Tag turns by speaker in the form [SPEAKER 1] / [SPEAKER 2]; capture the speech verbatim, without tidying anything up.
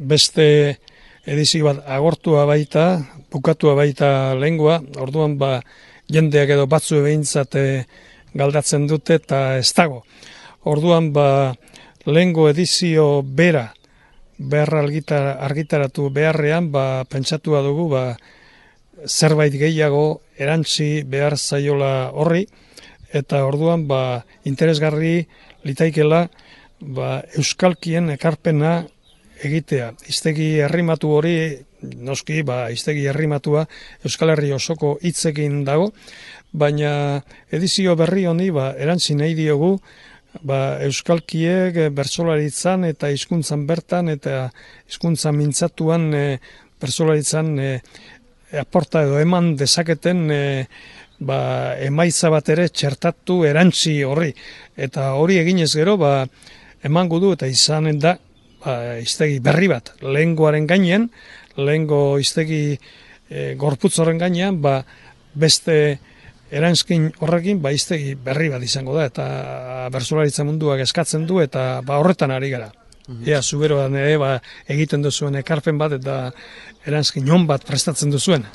[SPEAKER 1] beste edizio bat agortua baita, bukatua baita lengua, orduan ba jendeak edo batzu behintzat galdatzen dute eta ez dago. Orduan ba lehengo edizio bera behar argitaratu beharrean ba pentsatua dugu ba zerbait gehiago erantzi behar zaiola horri, eta orduan ba interesgarri litaikela ba euskalkien ekarpena egitea. Hiztegi herrimatu hori, noski, ba, hiztegi herrimatua Euskal Herri osoko hitzekin dago, baina edizio berri honi ba, erantzi nahi diogu ba, euskalkiek bertsolaritzan eta hizkuntzan bertan eta hizkuntzan mintzatuan e, bertsolaritzan e, aporta edo eman dezaketen e, ba, emaitza bat ere txertatu erantzi horri. Eta hori eginez gero ba, emango du eta izanen da ba, hiztegi berri bat, lehengoaren gainean, lehengo hiztegi e, gorputz horren gainean, ba, beste eranskin horrekin ba, hiztegi berri bat izango da, eta bertsolaritza munduak eskatzen du, eta ba, horretan ari gara. Mm-hmm. Ea, zuberoan ere ba, egiten duzuen ekarpen bat, eta eranskin on bat prestatzen duzuen.